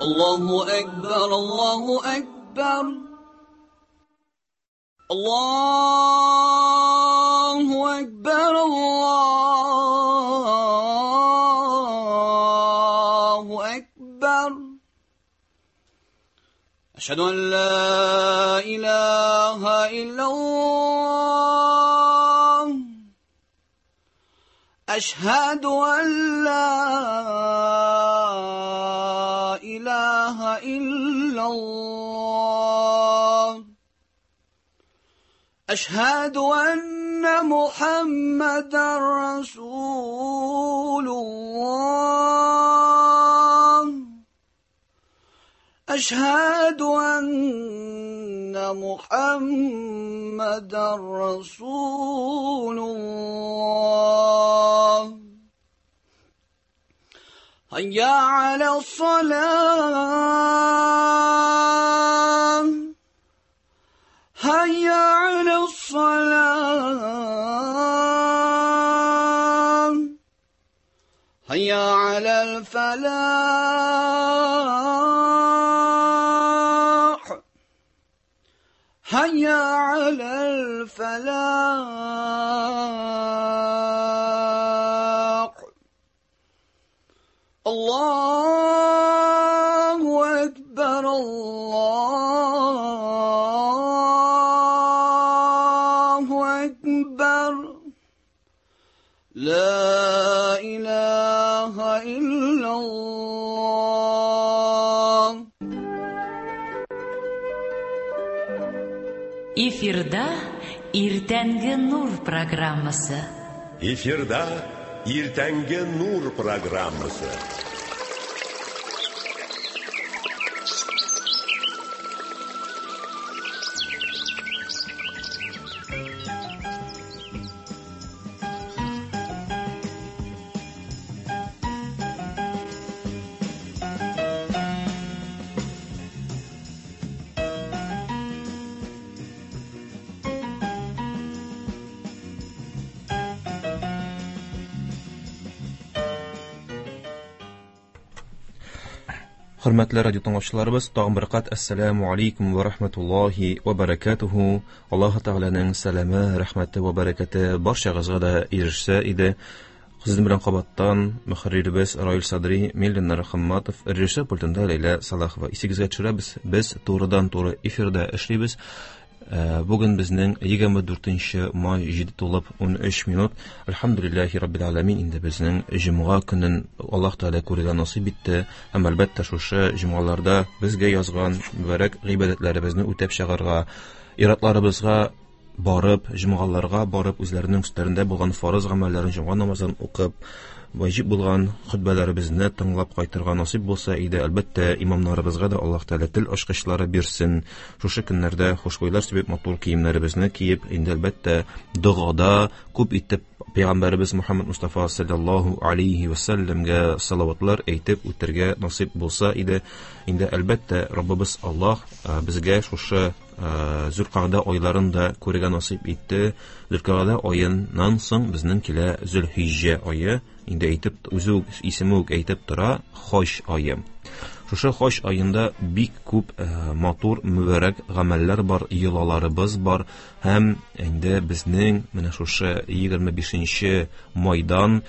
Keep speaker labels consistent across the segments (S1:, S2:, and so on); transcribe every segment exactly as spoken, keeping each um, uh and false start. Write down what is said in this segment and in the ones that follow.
S1: الله أكبر الله أكبر الله أكبر الله أكبر أشهد أن لا إله إلا الله أشهد أن لا إله إلا الله أشهد أن محمدا رسول الله أشهد أن محمدا رسول الله هيا على الصلاة هيا على الصلاة هيا على الفلاح هيا على الفلاح الله أكبر الله أكبر لا إله إلا الله.
S2: Эфирда Иртәнге Нур программасы.
S3: Эфирда Иртәнге Нур программасы.
S4: Хөрмәтле радио тыңлаучыларыбыз, тагын бер кат ассаламу алейкум ва рахматуллахи ва баракатуху. Аллаһ Тәгаләнең сәламе, рәхмәте ва бәрәкәте барчагызга да ирешсә иде. Сезнең белән кабаттан мөхәрриребез Раил Садри, мин Ленар Хамматов, режиссер пультында Ләйлә Салахова. Исегезгә төшерәбез, без турыдан-туры эфирда эшлибез. Бүген безнең егерме дүртенче май җиде тулып ун өч минут. Әлхәмдүлилләһи раббил аламин. Инде безнең җомга көнен Аллаһ Тәгалә күрергә насыйп итте. Һәм әлбәттә шушы җомгаларда безгә язган мөбарәк гыйбадәтләребезне үтәп чыгарга, иратларыбызга барып, җомгаларга барып, үзләренең өсләрендә булган фарыз гамәлләрен, җомга намазын укып, ваҗиб булган хөтбәләребезне тыңлап кайтырга насыйп булса иде. Әлбәттә, имамнарыбызга да Аллаһ Тәгалә тел ачкычлары бирсен. Шушы көннәрдә хушбуйлар сибеп, матур киемнәребезне киеп, инде әлбәттә догада күп итеп Пәйгамбәребез Мухаммад Мустафа саллаллаһу алейхи ва саллямга салаватлар әйтеп үтәргә насыйп булса иде. Инде әлбәттә Раббыбыз Аллаһ безгә шушы Зөлкагъдә айларын да күрергә насыйп итте. Зөлкагъдә аеннан соң безнең килә Зөлхиҗҗә ае. Инде әйтеп, үзе үк, исеме үк әйтеп тора, хаҗ ае. Шушы хаҗ аенда бик күп э, матур, мөбарәк гамәлләр бар, йолаларыбыз бар. Һәм инде безнең менә шушы егерме бишенче майдан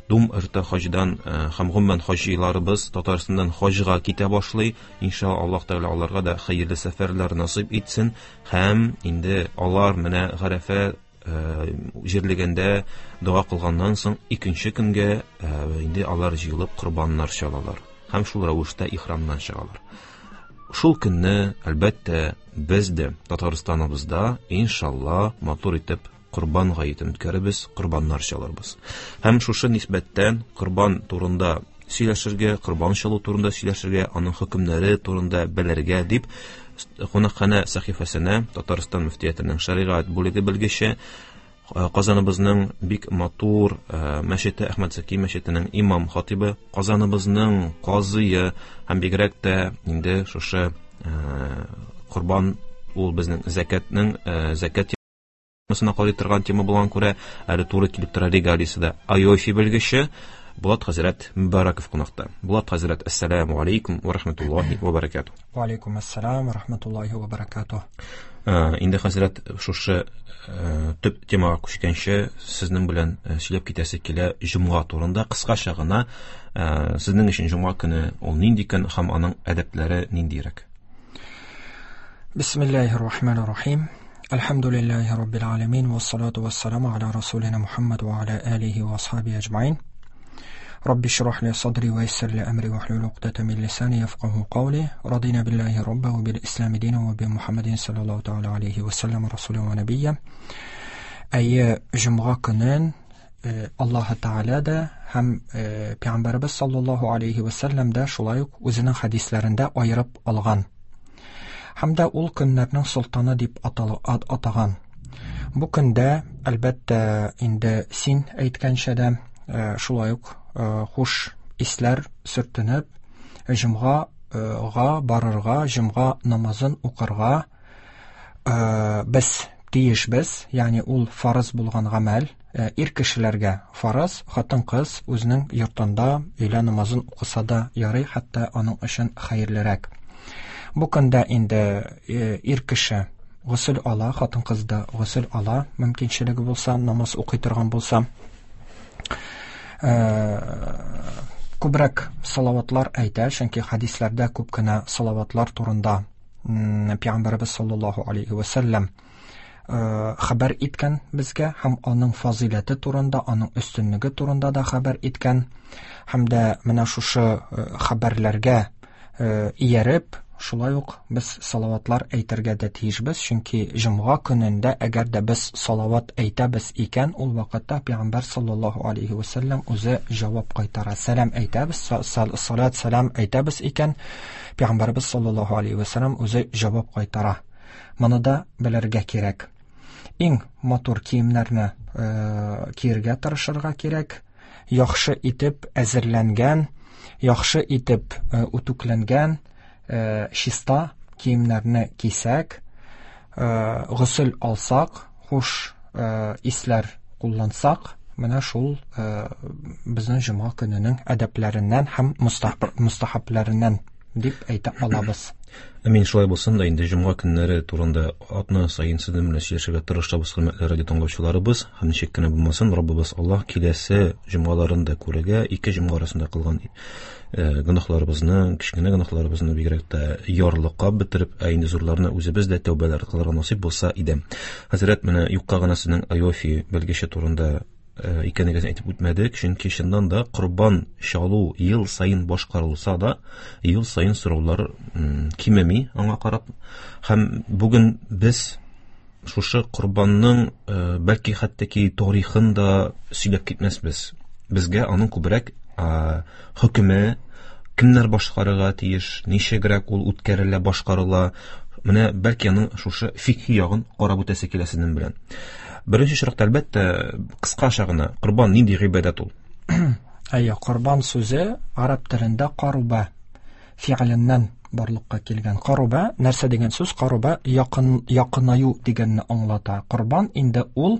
S4: Дум иртә хаҗдан һәм гомумән хаҗиларыбыз Татарстаннан хаҗга китә башлый. Иншалла Аллаһ Тәгалә аларга да хәерле сәфәрләр насыйп итсен. Һәм инде алар менә Гарәфә җирлегендә дога кылганнан соң икенче көнгә инде алар җыелып корбаннар чалалар һәм шул рәвештә ихрамнан чыгалар. Шул көнне әлбәттә без дә Татарстаныбызда иншалла матур итеп Корбан гаетен үткәребез, корбаннар чалырбыз. Һәм шушы нисбәттән корбан турында сөйләшергә, корбан чалу турында сөйләшергә, аның хөкемнәре турында белергә дип кунакханә сәхифәсенә Татарстан мөфтиятенең шәригать бүлеге белгече, Казаныбызның бик матур мәчете, Әхмәд Зәки мәчетенең имам хатибы, Казаныбызның казые һәм бигрәк тә инде шушы корбан ул безнең зәкәтнең зәкәт темасына карый торган тема булган күрә, әле туры килеп тора регалиясе дә. Айофи белгече Булат хәзрәт Мөбарәков кунакта. Булат хәзрәт, ассаламу алейкум ва рахматуллахи ва баракатуh.
S5: Ва алейкум ассалам ва рахматуллахи ва баракатуh.
S4: Инде хәзрәт, шушы төп темага күчкәнче сезнең белән сөйләп китәсе килә җомга турында кыскача гына. Сезнең өчен җомга көне ул нинди көн һәм аның әдәпләре ниндирәк?
S5: Бисмиллахир рахманир рахим. Әлхәмдүлилләһи раббил аламин вассалату вассаламу аля расулина Мухаммад ва аля алихи ва асхаби аҗмаин. Рабби шрах ли садри ва яссир ли амри вахлул уқдата мин лисани яфқаһу қавли. Радина биллаһи рабба ва бил ислами дина ва би Мухаммадин саллаллаһу тааля алейхи ва саллям расула ва набийя. Әйе, җомга көнен Аллаһ Тааля да һәм Пәйгамбәрбез саллаллаһу алейхи ва саллям да шулай ук үзенең хәдисләрендә аерып алган. Һәм дә ул көннәрнең солтаны дип атаган. Бу көндә, әлбәттә, инде син әйткәнчә дә шулай ук хуш исләр сөртенеп, җомгага барырга, җомга намазын укырга без тиешбез, ягъни ул фарыз булган гамәл, ир кешеләргә фарыз, хатын-кыз үзенең йортында өйлә намазын укыса да ярый, хәтта аның өчен хәерлерәк. Бу көндә инде ир кеше госел ала, хатын-кыз да госел ала, мөмкинчелеге булса, намаз укый торган булса. Күбрәк салаватлар әйтә, чөнки хәдисләрдә күп кенә салаватлар турында Пәйгамбәрбез саллаллаһу алейхи ва саллям хәбәр иткән безгә һәм аның фазыйләте турында, аның өстенлеге турында да хәбәр иткән. Һәм дә менә шушы хәбәрләргә ияреп, шулай ук без салаватлар әйтергә дә тиешбез, чөнки җомга көнендә әгәр дә без салават әйтәбез икән, ул вакытта Пәйгамбәр саллаллаһу алейхи ва саллям үзе җавап кайтара. Сәлам әйтәбез, салат сәлам әйтәбез икән, Пәйгамбәрбез саллаллаһу алейхи ва саллям үзе җавап кайтара. Моны да белергә кирәк. Иң матур киемнәрне киергә тырышырга кирәк. Яхшы итеп әзерләнгән, яхшы итеп үтүкләнгән чиста киемнәрне кисәк, госел алсак, хуш исләр куллансак, менә шул безнең җомга көненең әдәпләреннән һәм мустахабларыннан дип әйтә алабыз.
S4: Әмин, шулай булсын да. Инде җомга көннәре турында атна саен сезнең белән сөйләшергә тырышабыз, хөрмәтле радио тыңлаучыларыбыз. Һәм ничек кенә булмасын, Раббыбыз Аллаһ киләсе җомгаларын да күрергә, ике җомга арасында кылган гөнаһларыбызны, кечкенә гөнаһларыбызны бигрәк тә ярлыкап бетереп, ә инде зурларны үзебез дә тәүбәләр кылырга насыйп булса иде. Хәзрәт, менә юкка гына сезнең Айофи белгече турында икәнлеген әйтеп үтмәдек, чөнки чыннан да корбан чалу ел саен башкарылса да, ел саен сораулар кимеми аңа карап. Һәм бүген без шушы корбанның бәлки хәтта ки тарихын да сөйләп китмәсбез. Безгә аның күбрәк хөкеме, кемнәр башкарырга тиеш, ничегрәк ул үткәрелә, башкарыла, менә бәлки аның шушы фикхи ягын карап үтәсе килә сезнең белән. Беренче чиратта, әлбәттә, кыскача гына, корбан нинди гыйбадәт ул?
S5: Әйе, корбан сүзе араб телендә каруба фигыленнән барлыкка килгән. Каруба нәрсә дигән сүз? Каруба якын, якынаю дигәнне аңлата. Корбан инде ул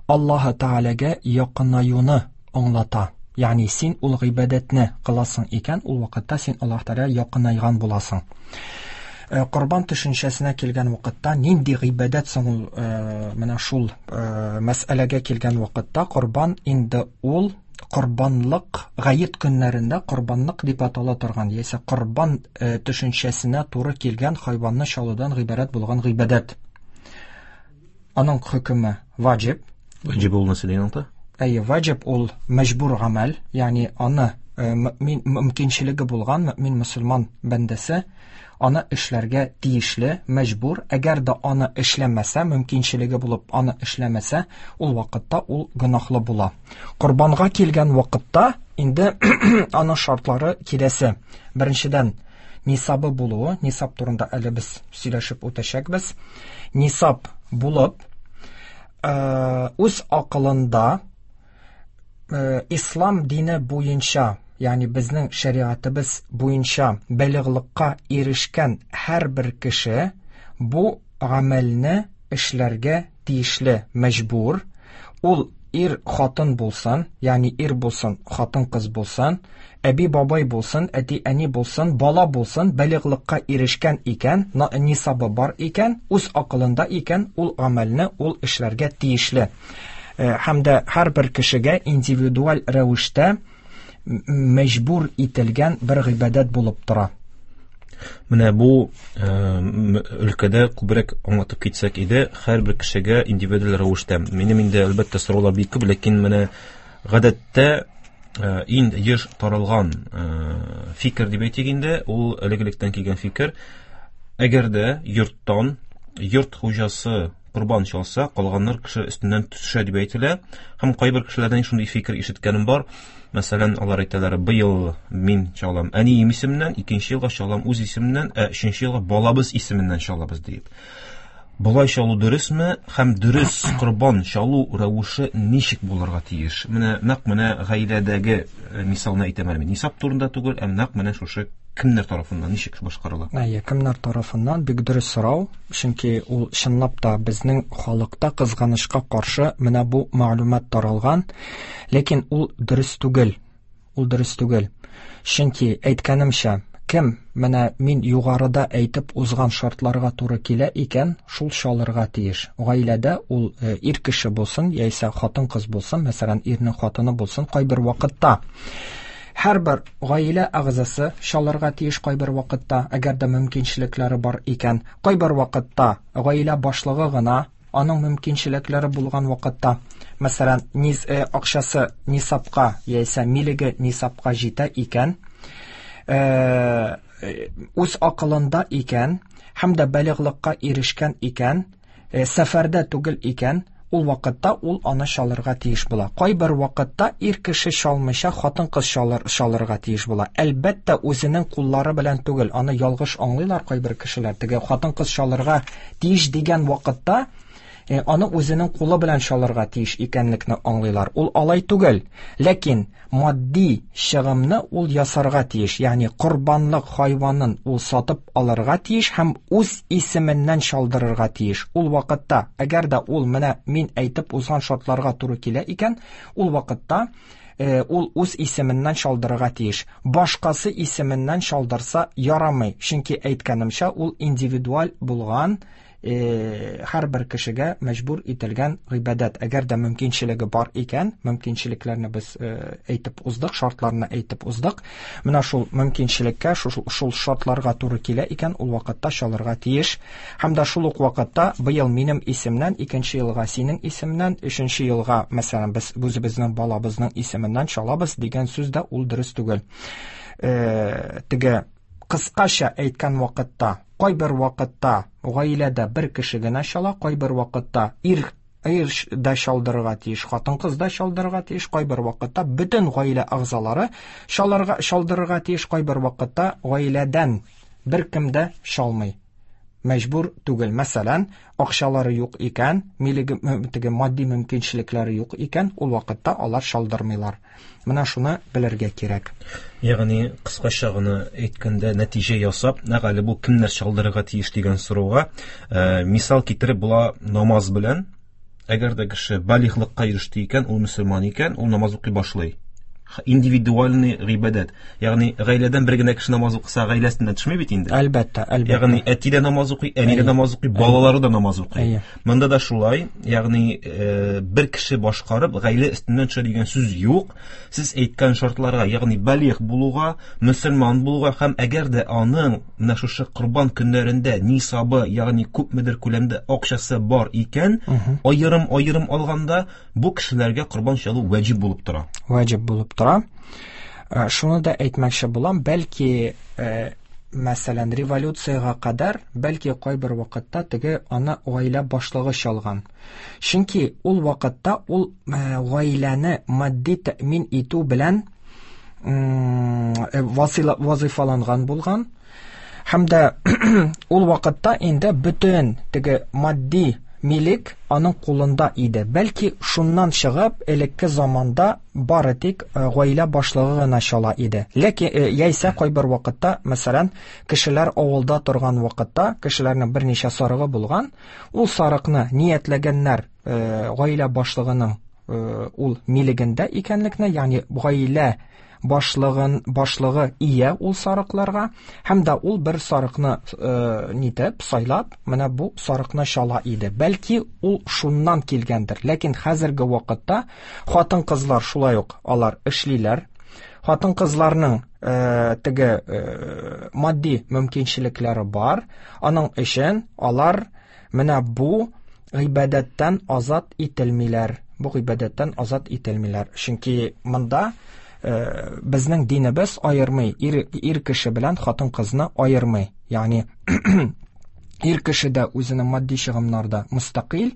S5: Аллаһ Таалагә якынаюны аңлата. Ягъни син ул гыйбадәтне кыласың икән, ул вакытта син Аллаһ Таалагә якынайган буласың. Корбан төшенчәсенә килгән вакытта нинди гыйбадәт соң ул, менә шул мәсьәләгә килгән вакытта корбан инде ул корбанлык гает көннәрендә корбанлык дип атала торган, яисә корбан төшенчәсенә туры килгән хайванны чалудан гыйбарәт булган гыйбадәт. Аның хөкеме ваҗиб.
S4: Ваҗиб ул нәрсә дигән аңлата?
S5: Әйе, ваҗиб ул мәҗбүр гамәл, ягъни аны мөмин мөмкинчелеге булган мөмин мөселман бәндәсе аны эшләргә тиешле, мәҗбүр. Әгәр дә аны эшләмәсә, мөмкинчелеге булып аны эшләмәсә, ул вакытта ул гөнаһлы була. Корбанга килгән вакытта инде аның шартлары киләсе. Беренчедән, нисабы булуы, нисаб турында әле без сөйләшеп үтәчәкбез. Нисаб булып, үз акылында ислам дине буенча, ягъни безнең шәриатыбыз буенча балигълыкка ирешкән һәрбер кеше бу гамәлне эшләргә тиешле, мәҗбүр. Ул ир хатын булсын, ягъни ир булсын, хатын кыз булсын, әби бабай булсын, әти әни булсын, бала булсын, балигълыкка ирешкән икән, нисабы бар икән, үз акылында икән, ул гамәлне ул эшләргә тиешле. Һәм дә һәрбер кешегә индивидуаль рәвештә мәҗбүр ителгән бер гыйбадәт булып тора.
S4: Менә бу өлкәдә күбрәк аңлатып китсәк иде, һәрбер кешегә индивидуаль рәвештә. Минем инде әлбәттә сораулар бик күп, ләкин менә гадәттә иң еш таралган фикер дип әйтик инде, ул элек-электән килгән фикер. Әгәр дә йорттан йорт хуҗасы корбан чалса, калганнар кеше өстеннән төшә дип әйтелә. Һәм кайбер кешеләрдән шундый фикер ишеткәнем бар. Мәсәлән, алар әйтәләр, быел мин чалам әнием исеменнән, икенче елга чалам үз исемемнән, ә өченче елга балабыз исеменнән чалабыз дип. Болай чалу дөресме? Һәм дөрес корбан чалу рәвеше ничек булырга тиеш? Менә нәкъ менә гаиләдәге мисалны әйтәм әле мин. Нисаб турында түгел, ә нәкъ менә шушы кемнәр тарафыннан ничек башкарыла?
S5: Әйе, кемнәр тарафыннан бик дөрес сорау, чөнки ул чынлап та безнең халыкта кызганычка каршы менә бу мәгълүмат таралган, ләкин ул дөрес түгел. Ул дөрес түгел. Чөнки әйткәнемчә, кем менә мин югарыда әйтеп узган шартларга туры килә икән, шул чалырга тиеш. Гаиләдә ул ир кеше булсын, яисә хатын-кыз булсын, мәсәлән, ирнең хатыны булсын, кайбер вакытта һәрбер гаилә әгъзасы чалырга тиеш кайбер вакытта, әгәр дә мөмкинчелекләре бар икән. Кайбер вакытта гаилә башлыгы гына аның мөмкинчелекләре булган вакытта, мәсәлән, низ э, акчасы нисабка яисә милеге нисабка җитә икән, э, үз акылында икән һәм дә балигълыкка ирешкән икән, э, сәфәрдә түгел икән, ул вакытта ул аны чалырга тиеш була. Кайбер вакытта ир кеше чалмыйча хатын-кыз чалыр, чалырга тиеш була. Әлбәттә, үзенең куллары белән түгел, аны ялгыш аңлыйлар кайбер кешеләр. Теге хатын-кыз чалырга тиеш дигән вакытта э, аны үзенең кулы белән чалырга тиеш икәнлекне аңлыйлар. Ул алай түгел. Ләкин матди чыгымны ул ясарга тиеш, ягъни корбанлык хайванын ул сатып алырга тиеш һәм үз исеменнән чалдырырга тиеш. Ул вакытта, әгәр дә ул менә мин әйтеп узган шартларга туры килә икән, ул вакытта э, ул үз исеменнән чалдырырга тиеш. Башкасы исеменнән чалдырса ярамый, чөнки әйткәнемчә, ул индивидуаль булган һәрбер кешегә мәҗбүр ителгән гыйбадәт. Әгәр дә мөмкинчелеге бар икән, мөмкинчелекләрне без әйтеп уздык, шартларны әйтеп уздык. Менә шул мөмкинчелеккә, шул, шул шартларга туры килә икән, ул вакытта чалырга тиеш. Һәм дә шул ук вакытта быел минем исемнән, икенче елга синең исемнән, өченче елга, мәсәлән, без үзебезнең балабызның исеменнән чалабыз дигән сүз дә ул дөрес түгел. Э, теге кыскача әйткән вакытта, кайбер вакытта гаиләдә бер кеше генә чала, кайбер вакытта ир ир дә чалдырырга тиеш, хатын-кыз да чалдырырга тиеш, кайбер вакытта бөтен гаилә әгъзалары чалырга чалдырырга тиеш, кайбер вакытта гаиләдән беркем дә чалмый. Мәҗбүр түгел. Мәсәлән, акчалары юк икән, милеге теге матди мөмкинчелекләре юк икән, ул вакытта алар чалдырмыйлар. Менә шуны белергә кирәк.
S4: Ягъни кыскача гына әйткәндә, нәтиҗә ясап, нәкъ әле бу кемнәр чалдырырга тиеш дигән сорауга, э, мисал китереп була намаз белән. Әгәр дә кеше балигълыкка иреште икән, ул мөселман икән, ул намаз укый башлый. Индивидуальный гыйбадәт. Ягъни гаиләдән бер генә кеше намаз укыса, гаиләсеннән төшми бит инде.
S5: Әлбәттә, әлбәттә.
S4: Ягъни әти дә намаз укый, әни дә намаз укый, балалары да намаз укый. Монда да шулай, ягъни э, бер кеше башкарып, гаилә өстеннән төшә дигән сүз юк. Сез әйткән шартларга, ягъни балигъ булуга, мөселман булуга һәм әгәр дә аның менә шушы корбан көннәрендә нисабы, ягъни күпмедер күләмдә акчасы бар икән, аерым-аерым алганда бу кешеләргә корбан чалу ваҗиб булып тора.
S5: Ваҗиб булып тора. Шуны да әйтмәкче булам, бәлки, мәсәлән, революциягә кадәр, бәлки кайбер вакытта теге аны гаилә башлыгы чалган. Чөнки ул вакытта ул гаиләне матди тәэмин итү белән вазифаланган булган. Һәм дә ул вакытта инде бөтен теге матди милек аның кулында иде. Бәлки шуннан чыгып, элекке заманда бары тик гаилә башлыгы гына чала иде. Ләкин яисә кайбер вакытта, мәсәлән, кешеләр авылда торган вакытта, кешеләрнең берничә сарыгы булган, ул сарыкны ниятләгәннәр гаилә башлыгының ул милегендә икәнлекне, ягъни гаилә башлыгын башлыгы ия ул сарыкларга, һәм дә ул бер сарыкны э, нитеп сайлап, менә бу сарыкны чала иде. Бәлки ул шуннан килгәндер. Ләкин хәзерге вакытта хатын-кызлар шулай ук алар эшлиләр. Хатын-кызларның э, теге э, матди мөмкинчелекләре бар. Аның өчен алар менә бу гыйбадәттән азат ителмиләр. Бу гыйбадәттән азат ителмиләр. Чөнки монда э, безнең динебез аермый, ир, ир кеше белән хатын-кызны аермый. Ягъни ир кеше дә үзенең матди чыгымнарда мөстәкыйль,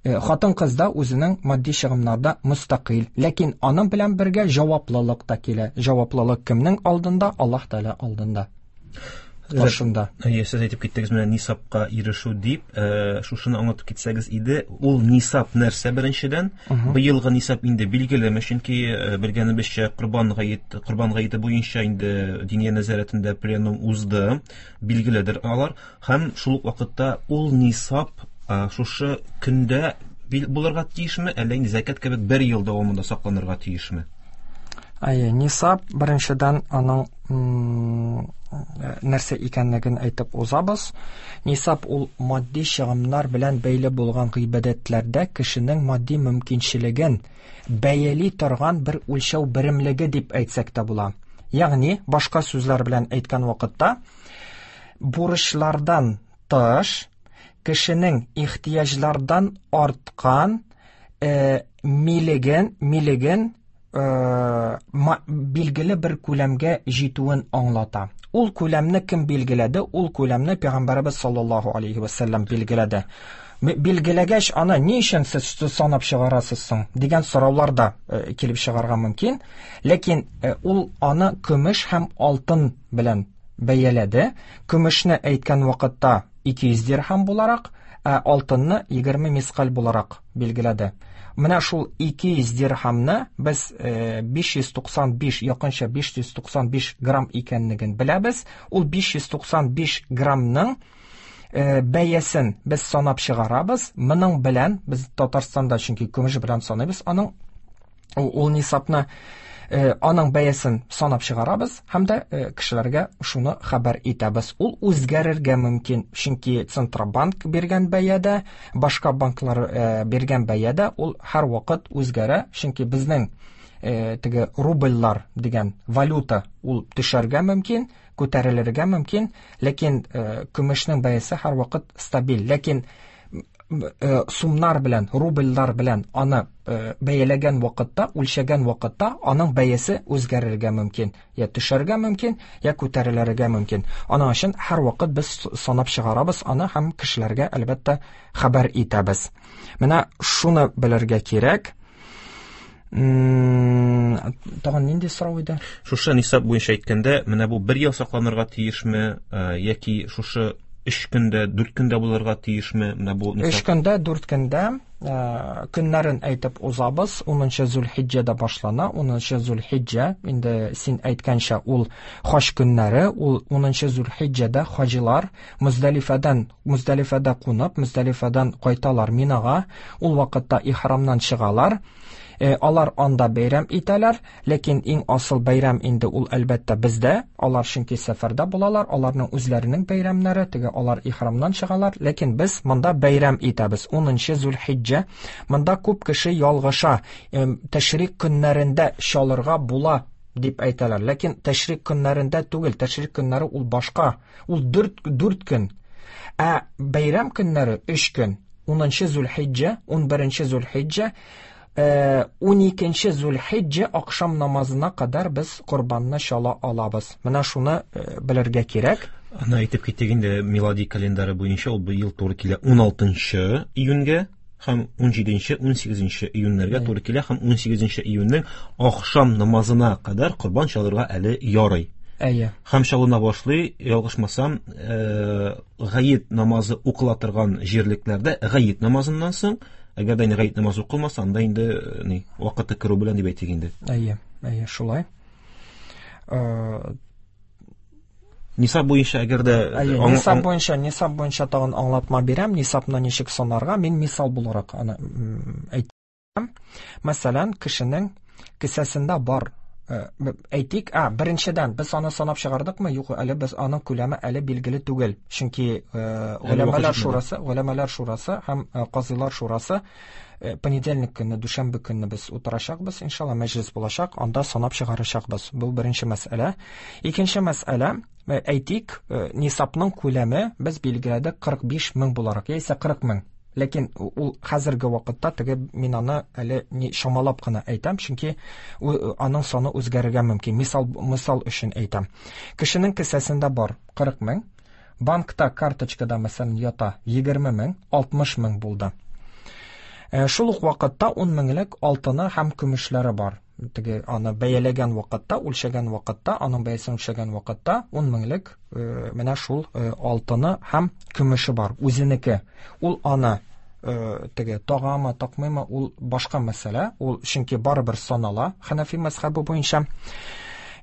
S5: э, хатын-кыз да үзенең матди чыгымнарда мөстәкыйль. Ләкин аның белән бергә җаваплылык та килә. Җаваплылык кемнең алдында? Аллаһ Тәгалә алдында. Каршында.
S4: Әйе, сез әйтеп киттегез менә нисабка ирешү дип, э, шушыны аңлатып китсәгез иде. Ул нисаб нәрсә беренчедән? Быелгы нисаб инде билгелеме? Чөнки э, белгәнебезчә Корбан гает, Корбан гаете буенча инде Диния нәзарәтендә пленум узды, билгеледер алар. Һәм шул ук вакытта ул нисаб э, шушы көндә булырга тиешме, әллә инде зәкят кебек бер ел дәвамында сакланырга тиешме?
S5: Әйе, нисаб беренчедән аның нәрсә икәнлеген әйтеп узабыз. Нисаб ул матди чыгымнар белән бәйле булган гыйбадәтләрдә кешенең матди мөмкинчелеген бәяли торган бер үлчәү беремлеге дип әйтсәк тә була. Ягъни, башка сүзләр белән әйткән вакытта, бурычлардан тыш кешенең ихтыяҗлардан арткан э, милеген, милеген э, билгеле бер күләмгә җитүен аңлата. Ул күләмне кем билгеләде? Ул күләмне Пәйгамбәребез саллаллаһу алейхи ва саллям билгеләде. Билгеләгәч, аны ни өчен сез санап чыгарасыз соң дигән сораулар да э, килеп чыгарга мөмкин. Ләкин э, ул аны көмеш һәм алтын белән бәяләде. Көмешне әйткән вакытта ике йөз дирһам буларак, ә алтынны егерме мискаль буларак билгеләде. Менә шул ике йөз дирһамны без биш йөз туксан биш, якынча биш йөз туксан биш грамм икәнлеген беләбез. Ул биш йөз туксан биш граммның бәясен без санап чыгарабыз. Моның белән без Татарстанда, чөнки көмеш белән саныйбыз, аның ул нисабны, аның бәясен санап чыгарабыз һәм дә кешеләргә шуны хәбәр итәбез. Ул үзгәрергә мөмкин, чөнки Центробанк биргән бәядә, башка банклар биргән бәядә ул һәр вакыт үзгәрә, чөнки безнең теге рубльлар дигән валюта ул төшәргә мөмкин, күтәрелергә мөмкин, ләкин көмешнең бәясе һәр вакыт стабиль. Ләкин сумнар белән, рубльлар белән аны бәяләгән вакытта, үлчәгән вакытта аның бәясе үзгәрергә мөмкин. Я төшәргә мөмкин, я күтәрелергә мөмкин. Аның өчен һәр вакыт без санап чыгарабыз аны һәм кешеләргә әлбәттә хәбәр итәбез. Менә шуны белергә кирәк. Тагын нинди сорау иде?
S4: Шушы нисаб буенча әйткәндә, менә бу бер ел сакланырга тиешме, яки шушы өч көндә, дүрт көндә булырга тиешме? Менә бу нисаб.
S5: Өч көндә, дүрт көндә, көннәрен әйтеп узабыз. Унынчы Зулхиҗҗәдә башлана. Унынчы Зулхиҗҗә, инде син әйткәнчә, ул хаҗ көннәре, ул унынчы Зулхиҗҗәдә хаҗилар Муздалифадан, Муздалифада кунып, Муздалифадан кайталар Минага. Ул вакытта ихрамнан чыгалар. Алар анда бәйрәм итәләр, ләкин иң асыл бәйрәм инде ул әлбәттә бездә. Алар чөнки сәфәрдә булалар, аларның үзләренең бәйрәмнәре, теге алар ихрамнан чыгалар, ләкин без монда бәйрәм итәбез. Унынчы Зулхиҗҗә. Монда күп кеше ялгыша, тәшрик көннәрендә чалырга була дип әйтәләр, ләкин тәшрик көннәрендә түгел, тәшрик көннәре ул башка, ул дүрт, дүрт көн. Ә бәйрәм көннәре өч көн. Унынчы Зулхиҗҗә, унберенче Зулхиҗҗә, уникенче Зулхиҗҗә акшам намазына кадәр без корбанны чала алабыз. Менә шуны белергә кирәк.
S4: Аны әйтеп киттек инде, милади календары буенча ул быел туры килә уналтынчы июньгә һәм унҗиденче, унсигезенче июньнәргә туры килә, һәм унсигезенче июньнең акшам намазына кадәр корбан чалырга әле ярый.
S5: Әйе.
S4: Һәм чалына башлый, ялгышмасам, гает намазы укыла торган җирлекләрдә гает намазыннан соң, әгәр дә инде гает намазы укылмаса, анда инде ни, вакыты керү белән дип әйтик инде.
S5: Әйе, әйе, шулай.
S4: Нисаб буенча әгәр дә
S5: Әйе, нисаб буенча, нисаб буенча тагын аңлатма бирәм, нисабны ничек санарга, мин мисал буларак аны әйтәм. Мәсәлән, кешенең кесәсендә бар, әйтик, а, беренчедән, без аны санап чыгардыкмы? Юк, әле без аның күләме әле билгеле түгел. Чөнки голәмәләр шурасы, голәмәләр шурасы һәм казыйлар шурасы понедельник көнне, дүшәмбе көнне без утырачакбыз, иншалла, мәҗлес булачак, анда санап чыгарачакбыз. Бу беренче мәсьәлә. Икенче мәсьәлә, әйтик, нисабның күләме без билгеләдек кырык биш мең буларак, яисә кырык мең. Ләкин ул хәзерге вакытта теге мин аны әле ни чамалап кына әйтәм, чөнки аның саны үзгәрергә мөмкин. Мисал, мисал өчен әйтәм. Кешенең кесәсендә бар кырык мең, банкта карточкада мәсәлән ята егерме мең, алтмыш мең булды. Шул ук вакытта ун меңлек алтыны һәм көмешләре бар. Теге аны бәяләгән вакытта, үлчәгән вакытта, аның бәясен үлчәгән вакытта ун меңлек менә шул алтыны һәм көмеше бар, үзенеке. Ул аны теге тагамы, такмыймы, ул башка мәсьәлә. Ул чөнки барыбер санала Ханафи мәзһәбе буенча.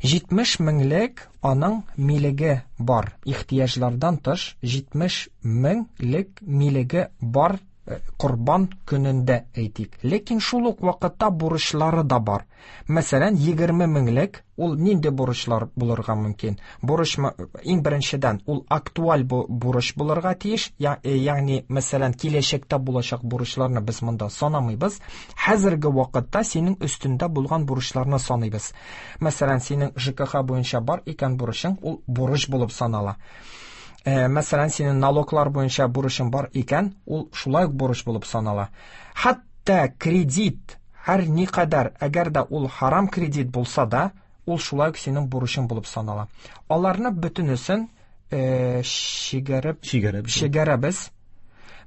S5: Җитмеш меңлек аның милеге бар. Ихтыяҗлардан тыш җитмеш меңлек милеге бар корбан көнендә әйтик. Ләкин шул ук вакытта бурычлары да бар. Мәсәлән, егерме меңлек ул нинди бурычлар булырга мөмкин? Бурыч иң беренчедән ул актуаль бурыч булырга тиеш, ягъни мәсәлән, киләчәктә булачак бурычларны без монда санамыйбыз. Хәзерге вакытта синең өстендә булган бурычларны саныйбыз. Мәсәлән, синең Ж К Х буенча бар икән бурычың, ул бурыч булып санала. Мәсәлән, синең налоглар буенча бурычың бар икән, ул шулай ук бурыч булып санала. Хәтта кредит һәр никадәр, әгәр дә ул харам кредит булса да, ул шулай ук синең бурычың булып санала. Аларны бөтенесен, э, чигәреп,
S4: Чигәреп.
S5: чигәрәбез.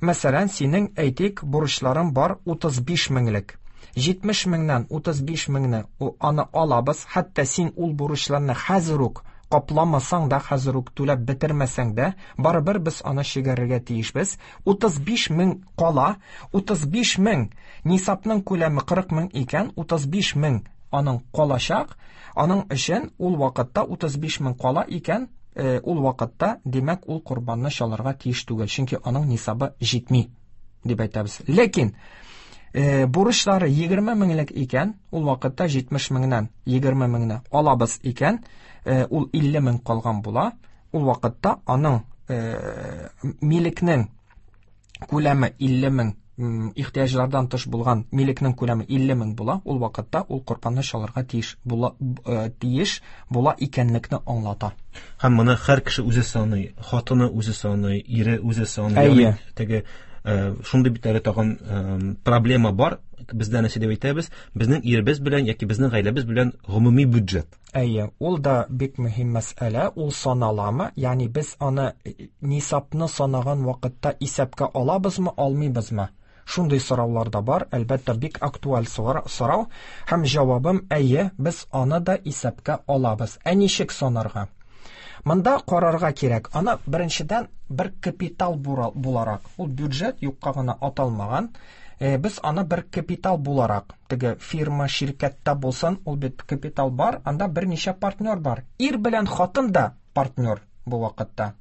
S5: Мәсәлән, синең, әйтик, бурычларың бар утыз биш меңлек. Җитмеш меңнән утыз биш меңне аны алабыз. Хәтта син ул бурычларны хәзер үк капламасаң да, хәзер үк түләп бетермәсәң дә, барыбер без аны чигәрергә тиешбез. Утыз биш мең кала, утыз биш мең нисабның күләме кырык мең икән, утыз биш мең аның калачак. Аның өчен ул вакытта утыз биш мең кала икән, э, ул вакытта, димәк, ул корбанны чалырга тиеш түгел, чөнки аның нисабы җитми дип әйтәбез. Ләкин, э, бурычлары егерме меңлек икән, ул вакытта җитмеш меңнән егерме меңне алабыз икән, э, ул илле мең калган була. Ул вакытта аның, э, милекнең күләме илле мең, м, ихтыяҗлардан тыш булган милекнең күләме илле мең була. Ул вакытта ул корбанны чалырга тиеш була, э, тиеш була икәнлекне аңлата.
S4: Һәм моны һәр кеше үзе саный, хатыны үзе саный, ире үзе саный.
S5: Әйе.
S4: Ягъни теге, э, шундый бит әле тагын, э, проблема бар. Бездә нәрсә дип әйтәбез? Безнең иребез белән яки безнең гаиләбез белән гомуми бюджет.
S5: Әйе, ул да бик мөһим мәсьәлә, ул саналамы? Ягъни без аны нисабны санаган вакытта исәпкә алабызмы, алмыйбызмы? Шундый сораулар да бар, әлбәттә, бик актуаль сора-, сорау. Һәм җавабым әйе, без аны да исәпкә алабыз. Ә ничек санарга? Монда карарга кирәк. Аны беренчедән бер капитал бура-, буларак, ул бюджет юкка гына аталмаган. Э, без аны бер капитал буларак, теге фирма, ширкәттә булсын, ул бит капитал бар, анда берничә партнер бар. Ир белән хатын да партнер бу вакытта.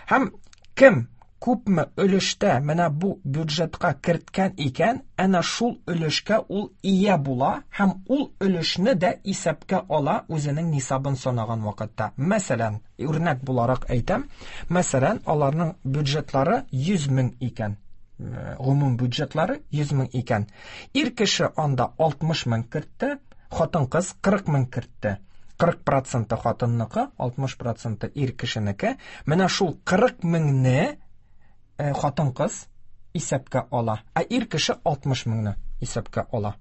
S5: Һәм кем күпме өлештә менә бу бюджетка керткән икән, әнә шул өлешкә ул ия була һәм ул өлешне дә исәпкә ала үзенең нисабын санаган вакытта. Мәсәлән, үрнәк буларак әйтәм, мәсәлән, аларның бюджетлары йөз мең икән. Э, гомум бюджетлары йөз мең икән. Ир кеше анда алтмыш мең кертте, хатын-кыз кырык мең кертте. Кырык проценты хатынныкы, алтмыш проценты ир кешенеке. Менә шул кырык меңне, э, хатын-кыз исәпкә ала, ә ир кеше алтмыш меңне исәпкә ала.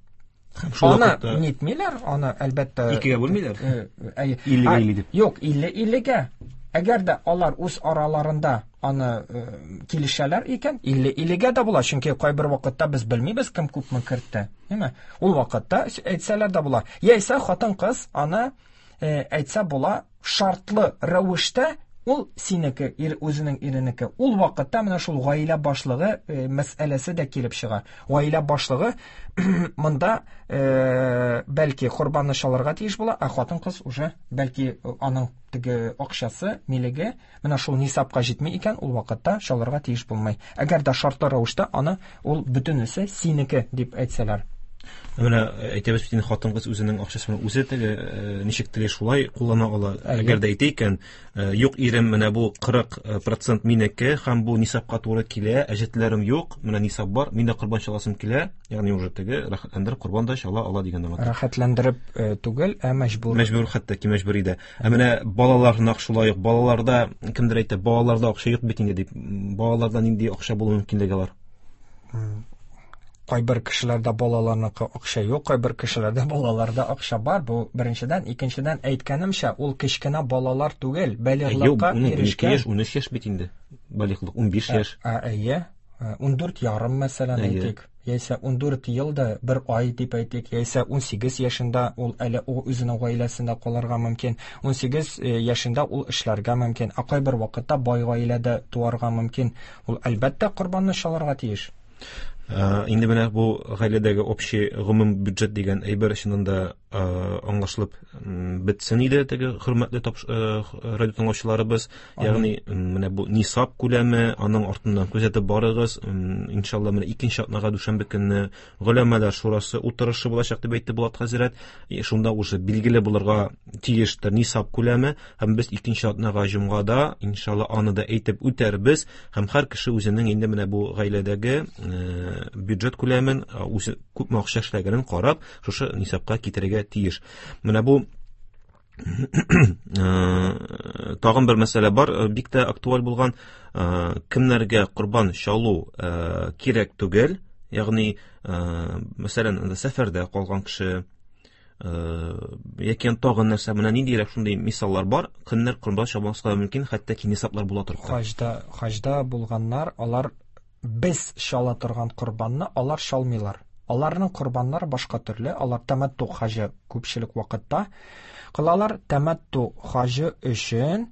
S4: Һәм шул
S5: Аны
S4: вакытта
S5: нитмиләр, аны әлбәттә
S4: Икегә бүлмиләр?
S5: Э, э,
S4: Иллегә
S5: а,
S4: илле дип.
S5: Юк, илле иллегә. Әгәр дә алар үз араларында аны, э, килешәләр икән, илле иллегә дә була, чөнки кайбер вакытта без белмибез кем күпме кертте, әйме? Ул вакытта әйтсәләр дә була. Яисә хатын-кыз аны, э, әйтсә була шартлы рәвештә, ул синеке, ир үзенең иренеке. Ул вакытта менә шул гаилә башлыгы, э, мәсьәләсе дә килеп чыга. Гаилә башлыгы монда, э, бәлки корбанны чалырга тиеш була, ә хатын-кыз уже бәлки аның теге акчасы, милеге менә шул нисабка җитми икән, ул вакытта чалырга тиеш булмый. Әгәр дә шартлы рәвештә аны ул бөтенесе синеке дип әйтсәләр.
S4: Менә әйтәбез бит инде, хатын-кыз үзенең акчасын үзе теге ничек тели шулай куллана ала. Әгәр дә әйтә икән, юк ирем, менә бу кырык процент минеке һәм бу нисабка туры килә, әҗәтләрем юк, менә нисаб бар, мин дә корбан чаласым килә, ягъни уже теге рәхәтләндереп корбан да чала ала дигән аңлата.
S5: Рәхәтләндереп түгел, ә мәҗбүр.
S4: Мәҗбүр, хәтта ки мәҗбүр иде. Ә менә балалар нәкъ шулай ук, балаларда кемдер әйтә, балаларда акча юк бит инде дип. Балаларда нинди акча булу мөмкинлеге бар?
S5: Кайбер кешеләрдә балаларныкы акча юк, кайбер кешеләрдә балаларда акча бар. Бу беренчедән, икенчедән әйткәнемчә, ул кечкенә балалар түгел, балигълыкка ирешкән.
S4: Юк, ун ике яшь, ун өч яшь бит инде. Балигълык ун биш яшь.
S5: Әйе, ун дүрт ярым мәсәлән әйтик, яисә ун дүрт ел да бер ай дип әйтик, яисә ун сигез яшендә ул әле ул үзенең гаиләсендә калырга мөмкин, ун сигез яшендә ул эшләргә мөмкин. Ә кайбер вакытта бай гаиләдә туарга мөмкин. Ул әлбәттә корбанны чалырга тиеш.
S4: Инде менә бу гаиләдәге общий гомум бюджет дигән әйбер чыннан да аңлашылып бетсен иде теге хөрмәтле радио тыңлаучыларыбыз. Ягъни менә бу нисаб күләме, аның артыннан күзәтеп барыгыз. Иншалла менә икенче атнага дүшәмбе көнне голәмәләр шурасы утырышы булачак дип әйтте Булат хәзрәт. Шунда уже билгеле булырга тиештер нисаб күләме, һәм без икенче атнага җомгада иншалла аны да әйтеп үтәрбез, һәм һәр кеше үзенең инде менә бу гаиләдәге бюджет күләмен, үзе күпме акча эшләгәнен карап, шушы нисабка китерергә тиеш. Менә бу тагын бер мәсьәлә бар, бик тә актуаль булган, кемнәргә корбан чалу кирәк түгел, ягъни мәсәлән, анда сәфәрдә калган кеше яки тагын нәрсә, менә ниндирәк шундый мисаллар бар, кемнәр корбан чалмаска мөмкин, хәтта ки нисаблар була торып.
S5: Хаҗда, хаҗда булганнар, алар без чала торган корбанны алар чалмыйлар. Аларның корбаннары башка төрле, алар тәмәттү хаҗы күпчелек вакытта кылалар. Тәмәттү хаҗы өчен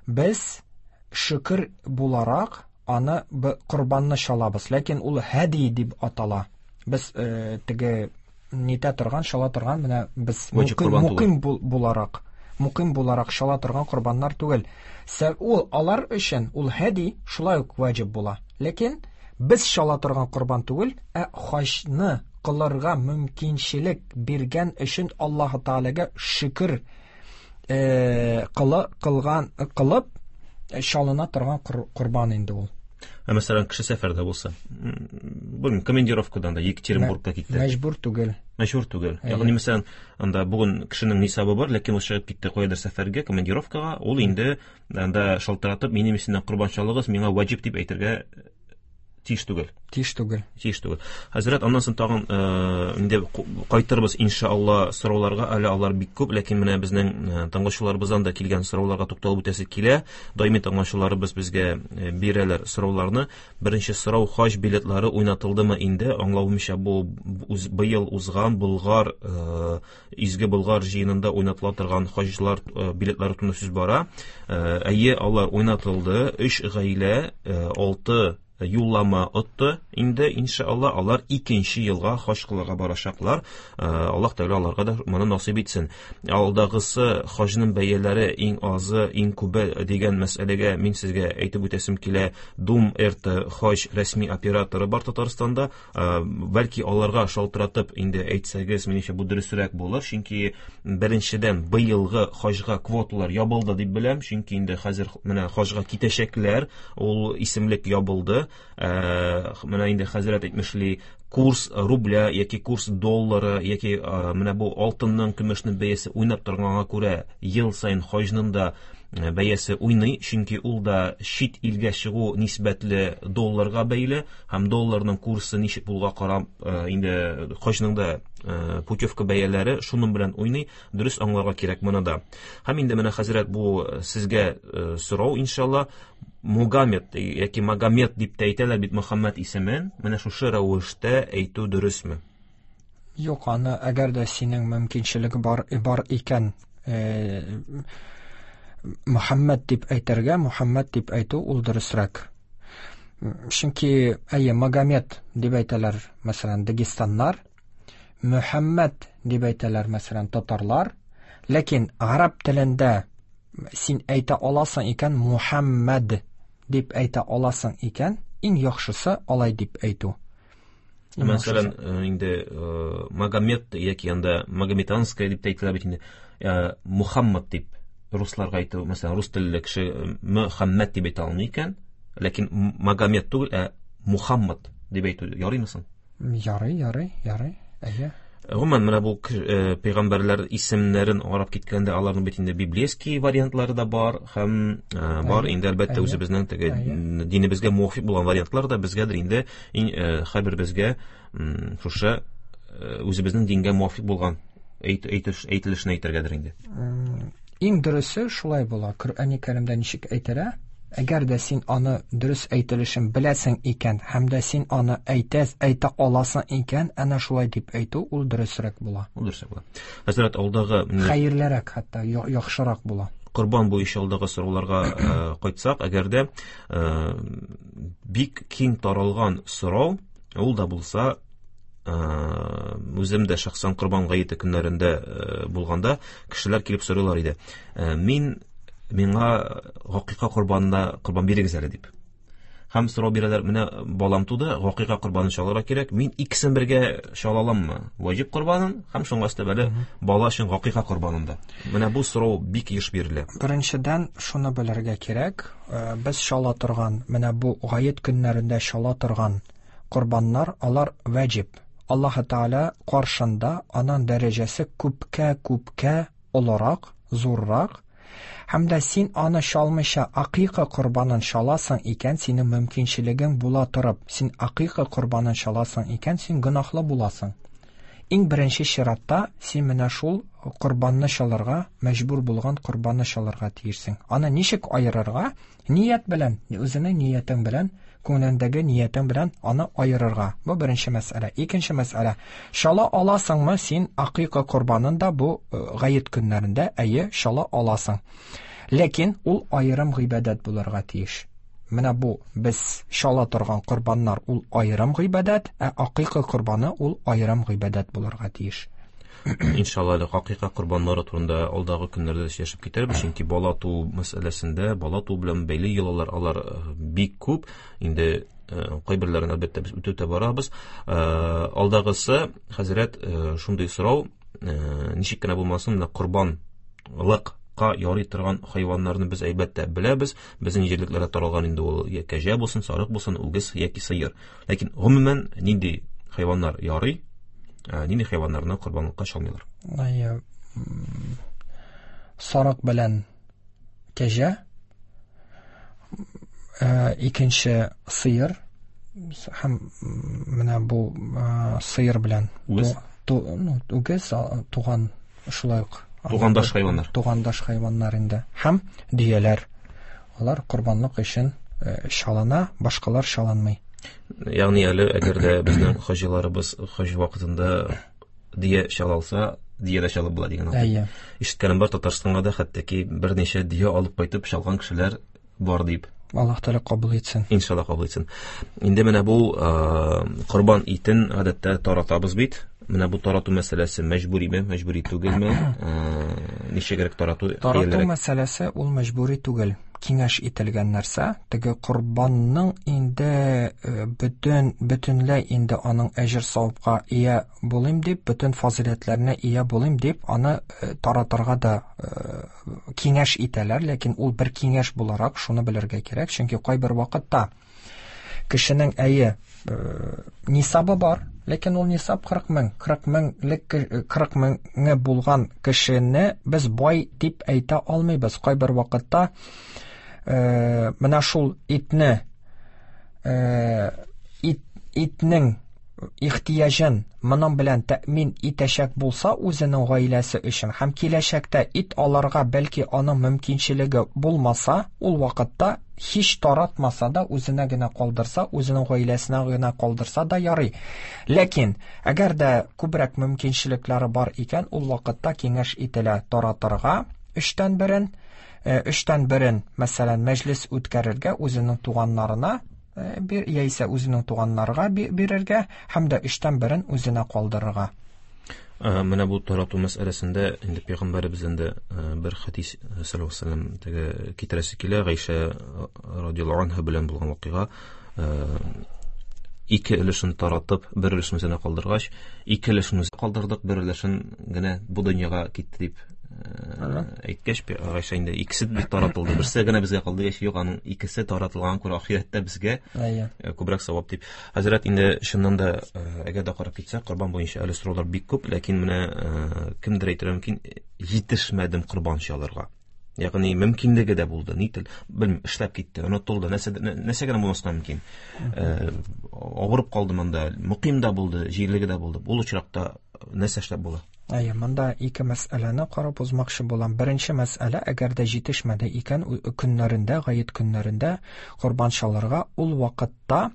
S5: без шөкер буларак аны корбанны чалабыз, ләкин ул һәди дип атала. Без э, теге нитә торган, чала торган, менә без муким буларак, муким буларак чала торган корбаннар түгел. Ул алар өчен ул һәди шулай ук ваҗиб була. Ләкин без чала торган корбан түгел, ә хаҗны кылырга мөмкинчелек биргән өчен Аллаһ Таалагә шөкер э, кылы, кылган кылып чалына торган корбан инде ул.
S4: Ә мәсәлән, кеше сәфәрдә булса, белмим, командировкадан да Екатеринбургка китте.
S5: Мәҗбүр түгел.
S4: Мәҗбүр түгел. Ягъни мәсәлән, анда бүген кешенең нисабы бар, ләкин ул чыгып китте каядыр сәфәргә, командировкага, ул инде анда шалтыратып, минем исемнән корбан чалыгыз, миңа ваҗиб дип әйтергә тиеш түгел.
S5: Тиеш түгел.
S4: Тиеш түгел. Хәзрәт, аннан соң тагын инде кайтырбыз иншалла сорауларга, әле алар бик күп, ләкин менә безнең тыңлаучыларыбыздан да килгән сорауларга тукталып үтәсе килә. Даими тыңлаучыларыбыз безгә бирәләр сорауларны. Беренче сорау: хаҗ билетлары уйнатылдымы инде? Аңлавымча, бу быел узган Болгар, Изге Болгар җыенында уйнатыла торган хаҗлар билетлары турында сүз бара. Әйе, алар уйнатылды. Өч гаилә, алты юллама отты инде, иншалла, алар икенче елга хаҗ кылырга барачаклар. Аллаһ Тәгалә аларга да моны насыйп итсен. Алдагысы хаҗның бәяләре иң азы, иң күбе дигән мәсьәләгә мин сезгә әйтеп үтәсем килә. Дум Р Т хаҗ рәсми операторы бар Татарстанда. Бәлки аларга шалтыратып инде әйтсәгез, минемчә бу дөресрәк булыр, чөнки беренчедән быелгы хаҗга квоталар ябылды дип беләм, чөнки инде хәзер менә хаҗга китәчәкләр, ул исемлек ябылды. Менә инде хәзрәт әйтмешли, курс рубля яки курс доллары яки менә бу алтынның, көмешнең бәясе уйнап торганга күрә ел саен хаҗның да бәясе уйный, чөнки ул да чит илгә чыгу нисбәтле долларга бәйле, һәм долларның курсы ничек булуга карап инде хаҗның да путевка бәяләре шуның белән уйный. Дөрес аңларга кирәк моны да. Һәм инде менә хәзрәт, бу сезгә сорау иншалла. Мугамед яки Магомед дип тә әйтәләр бит Мөхәммәд исемен. Менә шушы рәвештә әйтү дөресме?
S5: Юк, аны әгәр дә синең мөмкинчелеге бар, бар икән, э, Мөхәммәд дип әйтергә, Мөхәммәд дип әйтү ул дөресрәк. Чөнки әйе, Магомед дип әйтәләр, мәсәлән, дагестаннар, Мөхәммәд дип әйтәләр, мәсәлән, татарлар. Ләкин гарәп телендә син әйтә аласың икән, Мухаммад дип әйтә аласың икән, иң яхшысы алай дип әйтү.
S4: Мәсәлән, инде Магомед яки анда Магометанская дип тә әйтелә бит инде. Мухаммад дип русларга әйтү, мәсәлән, рус телле кеше Мөхәммәд дип әйтә алмый икән, ләкин Магомед түгел, ә Мухаммад дип әйтү ярыймы соң?
S5: Ярый, ярый, ярый. Әйе.
S4: Гомумән, менә бу пәйгамбәрләр исемнәрен карап киткәндә, аларның бит инде библейский вариантлары да бар һәм бар инде әлбәттә үзебезнең теге динебезгә муафик булган вариантлар да безгәдер инде, һәрбер безгә шушы үзебезнең дингә муафик булган әйтелешен әйтергәдер инде.
S5: Иң дөресе шулай була. Коръәни Кәримдә ничек әйтелә? Әгәр дә син аны дөрес әйтелешен беләсең икән, һәм дә син аны әйтәс, әйтә аласың икән, әнә шулай дип әйтү ул дөресрәк була.
S4: Ул дөресрәк була. Хәзрәт, алдагы
S5: хәерлерәк, хәтта яхшырак була.
S4: Корбан буенча алдагы сорауларга кайтсак, әгәр дә бик киң таралган сорау, ул да булса, үзем дә шәхсән Корбан гаете көннәрендә булганда кешеләр килеп сорыйлар иде. Мин миңа гакыйка корбанына корбан бирегез әле дип. Һәм сорау бирәләр, менә балам туды, гакыйка корбанын чалырга кирәк, мин икесен бергә чала аламмы? Ваҗиб корбанын һәм шуңа өстәп әле бала өчен гакыйка корбанын да. Менә бу сорау бик еш бирелә.
S5: Беренчедән, шуны белергә кирәк, без чала торган, менә бу гает көннәрендә чала торган корбаннар, алар ваҗиб. Аллаһ Тааля каршында аның дәрәҗәсе күпкә-күпкә олырак, зуррак. Һәм дә син аны чалмыйча акыйка корбанын чаласың икән, синең мөмкинчелегең була торып, син акыйка корбанын чаласың икән, син гөнаһлы буласың. Иң беренче чиратта син менә шул корбанны чалырга, мәҗбүр булган корбанны чалырга тиешсең. Аны ничек аерырга? Ният белән, үзеңнең ниятең белән, күңелеңдәге ниятең белән аны аерырга. Бу беренче мәсьәлә. Икенче мәсьәлә. Чала аласыңмы син акыйка корбанын да бу гает көннәрендә? Әйе, чала аласың. Ләкин ул аерым гыйбадәт булырга тиеш. Менә бу без чала торган корбаннар ул аерым гыйбадәт, ә акыйка корбаны ул аерым гыйбадәт булырга тиеш.
S4: Иншалла, әле хакыйка корбаннары турында алдагы көннәрдә сөйләшеп китәрбез, чөнки бала туу мәсьәләсендә, бала туу белән бәйле йолалар алар бик күп. Инде кайберләрен әлбәттә без үтеп барабыз. Алдагысы, хәзрәт, шундый сорау, ничек кенә булмасын, менә корбанлыкка ярый торган хайваннарны без әлбәттә беләбез. Безнең җирлекләрдә таралган инде ул кәҗә булсын, сарык булсын, үгез яки сыер. Ләкин гомумән нинди хайваннар ярый? Нинди хайваннарны корбанлыкка чалмыйлар?
S5: Әйе, сарык белән кәҗә, икенче сыер һәм менә бу сыер белән
S4: үгез,
S5: үгез туган шулай ук
S4: тугандаш хайваннар.
S5: Тугандаш хайваннар инде. Һәм дөяләр. Алар корбанлык өчен чалына, башкалар чалынмый.
S4: Ягъни әле әгәр дә безнең хаҗиларыбыз хаҗ вакытында дия чалалса, дия дә чалып була дигән.
S5: Әйе.
S4: Ишеткәнем бар, Татарстанга да хәтта ки берничә дия алып кайтып чалган кешеләр бар дип.
S5: Аллаһ Тәгалә кабул итсен.
S4: Иншалла кабул итсен. Инде менә бу корбан итен гадәттә таратабыз бит. Менә бу тарату мәсьәләсе мәҗбүриме, мәҗбүри түгелме? Ничегрәк тарату?
S5: Тарату мәсьәләсе ул мәҗбүри түгел. Киңәш ителгән нәрсә. Теге корбанның инде бөтен бөтенләй инде аның әҗер савапка ия булыйм дип, бөтен фазыйләтләренә ия булыйм дип, аны таратырга да киңәш итәләр, ләкин ул бер киңәш буларак шуны белергә кирәк, чөнки кайбер вакытта кешенең әйе нисабы бар, ләкин ул нисаб кырык мең, кырык меңлек, кырык меңе булган кешене без бай дип әйтә алмыйбыз. Кайбер вакытта менә шул итне, ит, итнең ихтыяҗын моның белән тәэмин итәчәк булса үзенең гаиләсе өчен һәм киләчәктә ит алырга бәлки аның мөмкинчелеге булмаса, ул вакытта һич таратмаса да үзенә генә калдырса, үзенең гаиләсенә генә калдырса да ярый. Ләкин әгәр дә күбрәк мөмкинчелекләре бар икән, ул вакытта киңәш ителә таратырга өчтән берен, өчтән берен, мәсәлән, мәҗлес үткәрергә үзенең туганнарына бир, яисә үзенең туганнарга бирергә һәм дә өчтән берен үзенә калдырырга.
S4: Менә бу тарату мәсьәләсендә инде пәйгамбәребездән дә бер хадис саллаллаһу алейһи ва саллям теге китерәсе килә, Гайшә радияллаһу анха белән булган вакыйга. ике өлешен таратып, бер өлешен үзенә калдыргач, ике өлешен үзе калдырдык, бер өлешен генә бу дөньяга китте дип әйткәч, Гайшә инде икесе бит таратылды, берсе генә безгә калды, яшь юк, аның икесе таратылган күрә ахирәттә безгә күбрәк савап дип. Хәзрәт, инде чыннан да әгәр дә карап китсәк, корбан буенча әле сораулар бик күп, ләкин менә кемдер әйтергә мөмкин, җитешмәдем корбан чалырга. Ягъни мөмкинлеге дә булды, ни тел, белмим, эшләп китте, онытылды, нәрсә нәрсә генә булмаска мөмкин. Авырып калды монда, мөким дә булды, җирлеге дә булды. Ул очракта нәрсә эшләп була?
S5: Әйе, монда ике мәсьәләне карап узмакчы булам. Беренче мәсьәлә, әгәр дә җитешмәде икән, көннәрендә, гает көннәрендә корбан чалырга, ул вакытта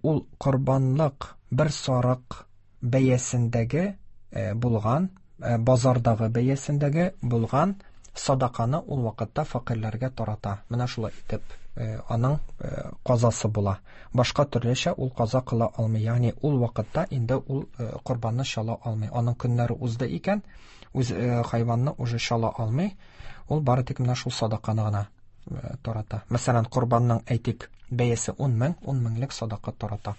S5: ул корбанлык бер сарык бәясендәге булган, базардагы бәясендәге булган садаканы ул вакытта фәкыйрьләргә тарата. Менә шулай итеп аның казасы була. Башка төрлечә ул каза кыла алмый. Ягъни ул вакытта инде ул корбанны чала алмый. Аның көннәре узды икән, үз хайванны уже чала алмый. Ул бары тик менә шул садаканы гына тарата. Мәсәлән, корбанның әйтик бәясе ун мең, ун меңлек садака тарата.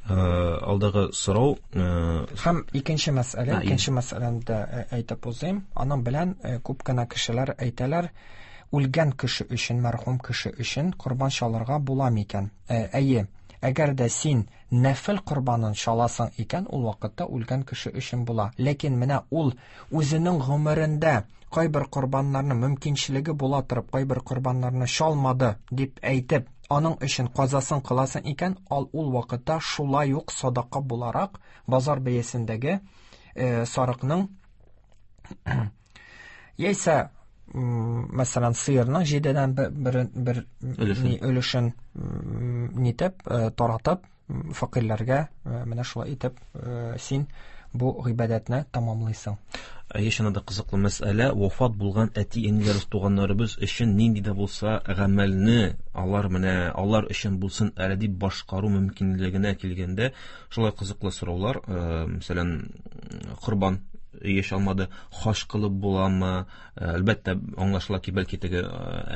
S4: Алдагы сорау
S5: һәм икенче мәсьәлә, икенче мәсьәләне дә әйтеп узыйм. Аның белән күп кенә кешеләр әйтәләр, үлгән кеше өчен, мәрхүм кеше өчен корбан чалырга була микән? Әйе, әгәр дә син нәфел корбанын чаласың икән, ул вакытта үлгән кеше өчен була. Ләкин менә ул үзенең гомерендә кайбер корбаннарны мөмкинчелеге була торып, кайбер корбаннарны чалмады дип әйтеп, аның өчен казасын кыласың икән, ал ул вакытта шулай ук садака буларак базар бәясендәге э, сарыкның яисә мәсәлән сыерның җидедән бер, бер, бер өлешен нитеп таратып фәкыйрьләргә менә шулай итеп син бу гыйбадәтне тамамлыйсың.
S4: Әйе, чыннан да кызыклы мәсьәлә, вафат булган әти-әниләребез, туганнарыбыз өчен нинди дә булса гамәлне алар менә алар өчен булсын әле дип башкару мөмкинлегенә килгәндә, шулай кызыклы сораулар, мәсәлән, корбан еш алмады, хаҗ кылып буламы? Әлбәттә, аңлашыла ки, бәлки теге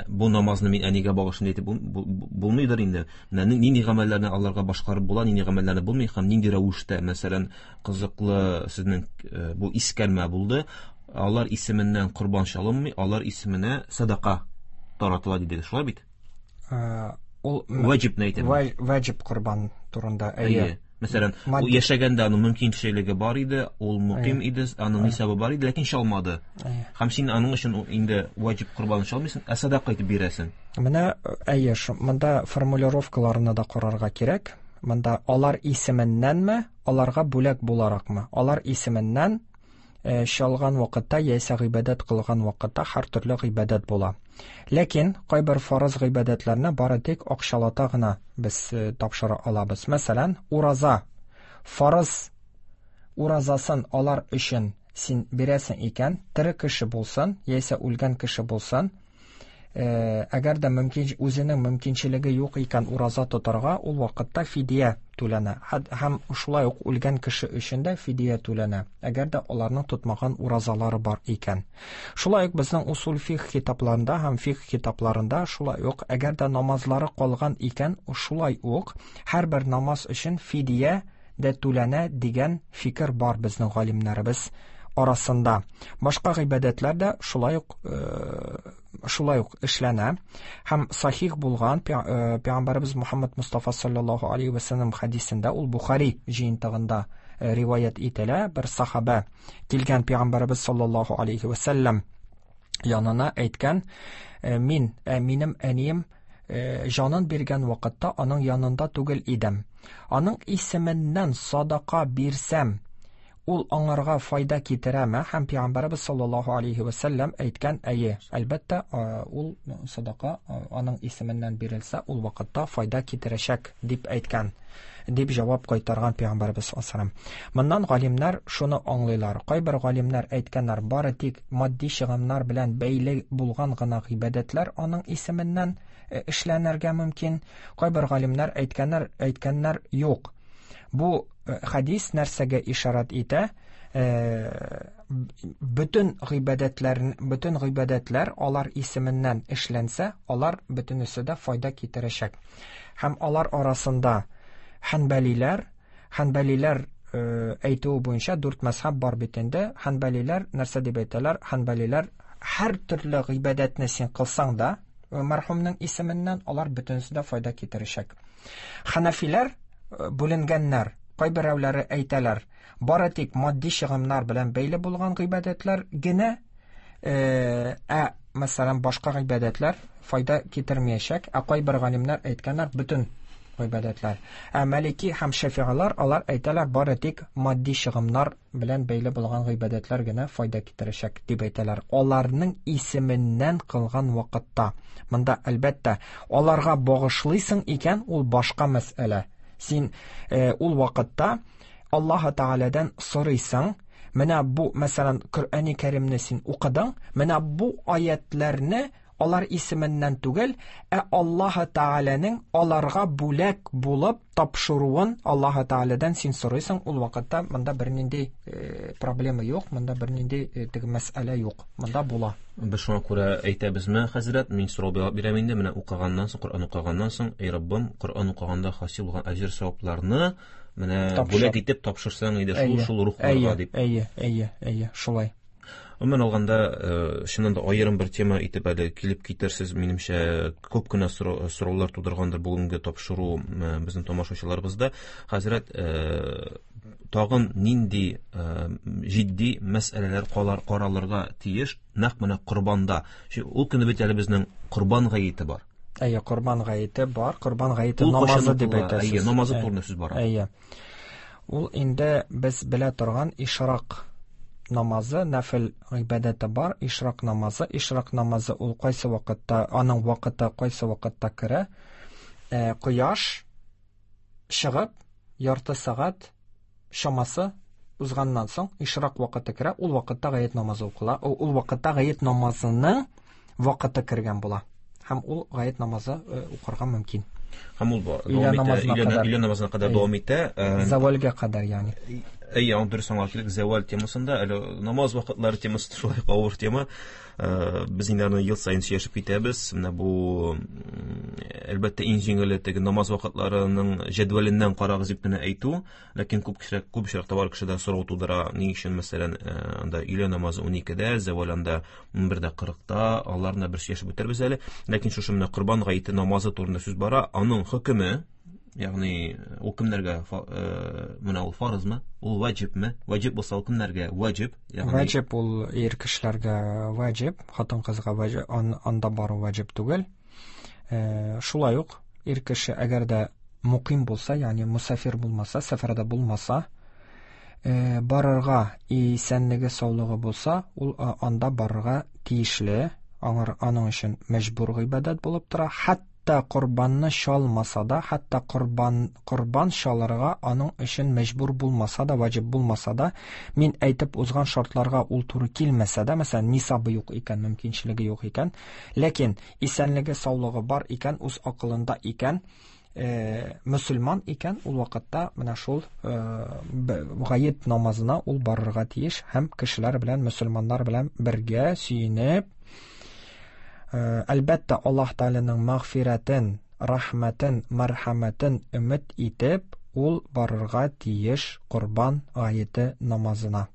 S4: бу намазны мин әнигә багышлыйм дип булмыйдыр инде. Менә нинди гамәлләрне аларга башкарып була, нинди гамәлләрне булмый һәм нинди рәвештә, мәсәлән, кызыклы сезнең бу искәрмә булды. Алар исеменнән корбан чалынмый, алар исеменә садака таратыла диде. Шулай бит?
S5: Ул
S4: ваҗибне әйтәм.
S5: Ваҗиб корбан турында. Әйе.
S4: Мәсәлән, ул яшәгәндә аның мөмкинчелеге бар иде, ул мөким иде, аның нисабы бар иде, ләкин чалмады. Һәм син аның өчен инде ваҗиб корбанын чалмыйсың, ә садака итеп бирәсең.
S5: Менә әйе, монда формулировкаларны да карарга кирәк. Монда алар исеменнәнме, аларга бүләк буларакмы? Алар исеменнән чалган вакытта яисә гыйбадәт кылган вакытта һәр төрле гыйбадәт була. Ләкин кайбер фарыз гыйбадәтләрне бары тик акчалата гына без тапшыра алабыз. Мәсәлән, ураза. Фарыз уразасын алар өчен син бирәсең икән, тере кеше булсын, яисә үлгән кеше булсын, әгәр дә мөмкин үзенең мөмкинчелеге юк икән ураза тотарга, ул вакытта фидия түләнә. Һәм шулай ук үлгән кеше өчен дә фидия түләнә, әгәр дә аларның тотмаган уразалары бар икән. Шулай ук безнең усул фикх китапларында һәм фикх китапларында шулай ук әгәр дә намазлары калган икән, шулай ук һәрбер намаз өчен фидия дә түләнә дигән фикер бар безнең галимнәребез арасында. Башка гыйбадәтләр дә шулай ук шулай ук эшләнә. Һәм сахих булган Пәйгамбәребез Мухаммад Мустафа саллаллаһу алейхи ва саллям хадисендә, ул Бухари җыентыгында риваять ителә, бер сахаба килгән Пәйгамбәребез саллаллаһу алейхи ва саллям янына әйткән: "Мин, минем әнием җанын биргән вакытта аның янында түгел идем. Аның исеменнән садака бирсәм, ул аңарга файда китерәме?" Һәм Пәйгамбәребез саллаллаһу алейхи ва саллям әйткән: "Әйе, әлбәттә, ул садака аның исеменнән бирелсә, ул вакытта файда китерәчәк", дип әйткән, дип җавап кайтарган Пәйгамбәребез саллаллаһу алейһи ва саллям. Моннан галимнәр шуны аңлыйлар. Кайбер галимнәр әйткәннәр, бары тик матди чыгымнар белән бәйле булган гына гыйбадәтләр аның исеменнән эшләнергә мөмкин. Кайбер галимнәр әйткәннәр, әйткәннәр юк. Бу хадис нәрсәгә ишарат итә? Бөтен гыйбадәтләр, бөтен гыйбадәтләр алар исеменнән эшләнсә, алар бөтенесе дә файда китерәчәк. Һәм алар арасында Ханбалиләр, ханбалиләр әйтүе буенча дүрт мәзһәб бар бит инде. Ханбалиләр нәрсә дип әйтәләр? Ханбалиләр һәр төрле гыйбадәтне син кылсаң да, мәрхүмнең исеменнән алар бөтенесе дә файда китерәчәк. Ханафиләр бүленгәннәр. Кайберәүләре әйтәләр, бары тик матди чыгымнар белән бәйле булган гыйбадәтләр генә, ә мәсәлән башка гыйбадәтләр файда китермәячәк. Ә кайбер галимнәр әйткәннәр, бөтен гыйбадәтләр. Ә Малики һәм Шафигалар алар әйтәләр, бары тик матди чыгымнар белән бәйле булган гыйбадәтләр генә файда китерәчәк дип әйтәләр. Аларның исеменнән кылган вакытта. Монда әлбәттә аларга багышлыйсың икән, ул башка мәсьәлә. Син э, ул вакытта Аллаһ Тәгаләдән сорыйсың, менә бу, мәсәлән, Коръәни Кәримне син укыдың, менә бу аятларны алар исеменнән түгел, ә Аллаһ Тәгаләнең аларга бүләк булып тапшыруын Аллаһ Тәгаләдән син сорыйсың. Ул вакытта монда бернинди э, проблема юк, монда бернинди э, теге мәсьәлә юк, монда була.
S4: Без шуңа күрә әйтәбезме, хәзрәт, мин сорау бирәм инде, менә укыганнан соң, Коръән укыганнан соң, эй Раббым, Коръән укыганда хасил булган әҗер савапларны менә бүләк итеп тапшырсаң иде шул шул рухларга дип.
S5: Әйе, әйе, әйе, шулай.
S4: Гомумән алганда, чыннан да аерым бер тема итеп әле килеп китерсез, минемчә, күп кенә сораулар тудыргандыр бүгенге тапшыру безнең тамашачыларыбызда. Хәзрәт, тагын нинди җитди мәсьәләләр каралырга тиеш нәкъ менә корбанда? Ул көне бит әле безнең корбан гаете бар.
S5: Әйе, корбан гаете бар, корбан гаете намазы дип әйтәсез.
S4: Әйе, намазы турында сүз бара.
S5: Әйе. Ул инде без белә торган ишрак намазы, нәфил гыйбадәте бар, ишрак намазы. Ишрак намазы ул кайсы вакытта, аның вакыты кайсы вакытта керә? Э, кояш чыгып, ярты сәгать чамасы узганнан соң ишрак вакыты керә. Ул вакытта гает намазы укыла. Ул вакытта гает намазының вакыты кергән була. Һәм ул гает намазы укырга мөмкин.
S4: Һәм ул дәвам итә, өйлә намазына кадәр дәвам итә.
S5: Завалга кадәр, ягъни.
S4: Әйе, аны дөрес аңлау кирәк. Зәвал темасында, әле намаз вакытлары темасы шулай авыр тема. Без инде аны ел саен сөйләшеп китәбез. Менә бу, әлбәттә, иң җиңеле теге намаз вакытларының җәдвәленнән карагыз дип кенә әйтү, ләкин күп кешеләр, күп очракта бар кешедә сорау тудыра, ни өчен, мәсәлән, анда өйлә намазы уникедә, зәвал анда унбердә кырыкта, аларны бер сөйләшеп үтербез әле. Ләкин шушы менә корбан гаете намазы турында сүз бара, аның хөкеме, ягъни ул кемнәргә, менә ул фарызмы, ул ваҗибме? Ваҗиб булса ул кемнәргә ваҗиб?
S5: Ягъни ваҗиб ул ир кешеләргә ваҗиб, хатын-кызга ваҗиб, анда бару ваҗиб түгел. Шулай ук ир кеше әгәр дә муким булса, ягъни мусафир булмаса, сәфәрдә булмаса, барырга исәнлеге, саулыгы булса, ул анда барырга тиешле, аңар аның өчен мәҗбүр гыйбадәт булып тора. Хәтта корбанны чалмаса да, хәтта корбан корбан чалырга аның өчен мәҗбүр булмаса да, ваҗиб булмаса да, мин әйтеп узган шартларга ул туры килмәсә дә, мәсәлән, нисабы юк икән, мөмкинчелеге юк икән, ләкин исәнлеге, саулыгы бар икән, үз акылында икән, э, мөселман икән, ул вакытта менә шул гает намазына ул барырга тиеш һәм кешеләр белән, мөселманнар белән бергә сөенеп, әлбәттә, Аллаһ Тәгаләнең мәгъфирәтен, рәхмәтен, мәрхәмәтен өмет итеп, ул барырга тиеш корбан гаете намазына.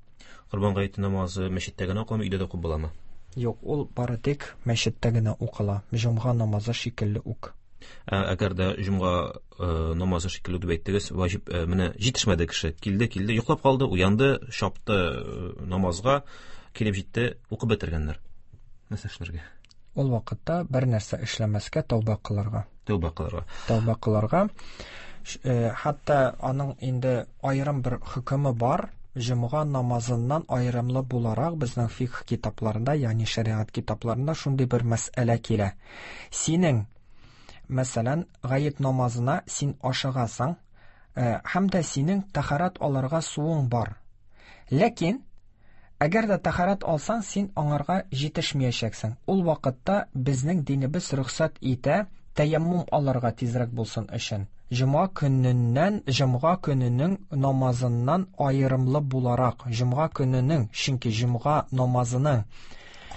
S4: Корбан гаете намазы мәчеттә генә укыламы, өйдә дә укып буламы?
S5: Юк, ул бары тик мәчеттә генә укыла. Җомга намазы шикелле үк.
S4: Әгәр дә җомга намазы шикелле дип әйттегез, ваҗиб, менә җитешмәде кеше, килде, килде, йоклап калды, уянды, чапты намазга, килеп җитте, укып бетергәннәр. Нәрсә эшләргә?
S5: Ул вакытта бер нәрсә эшләмәскә, тәүбә кылырга.
S4: Тәүбә кылырга.
S5: Тәүбә кылырга. Хәтта аның инде аерым бер хөкеме бар. Җомга намазыннан аерымлы буларак безнең фикх китапларында, ягъни шәриат китапларында шундый бер мәсьәлә килә. Синең, мәсәлән, гает намазына син ашыгасың, һәм дә синең тәһарәт алырга суың бар. Ләкин әгәр дә тәһарәт алсаң, син аңарга җитешмәячәксең. Ул вакытта безнең динебез рөхсәт итә тәяммум алырга тизрәк булсын өчен. Җомга көненнән, җомга көненең намазыннан аерымлы буларак, җомга көненең, чөнки җомга намазының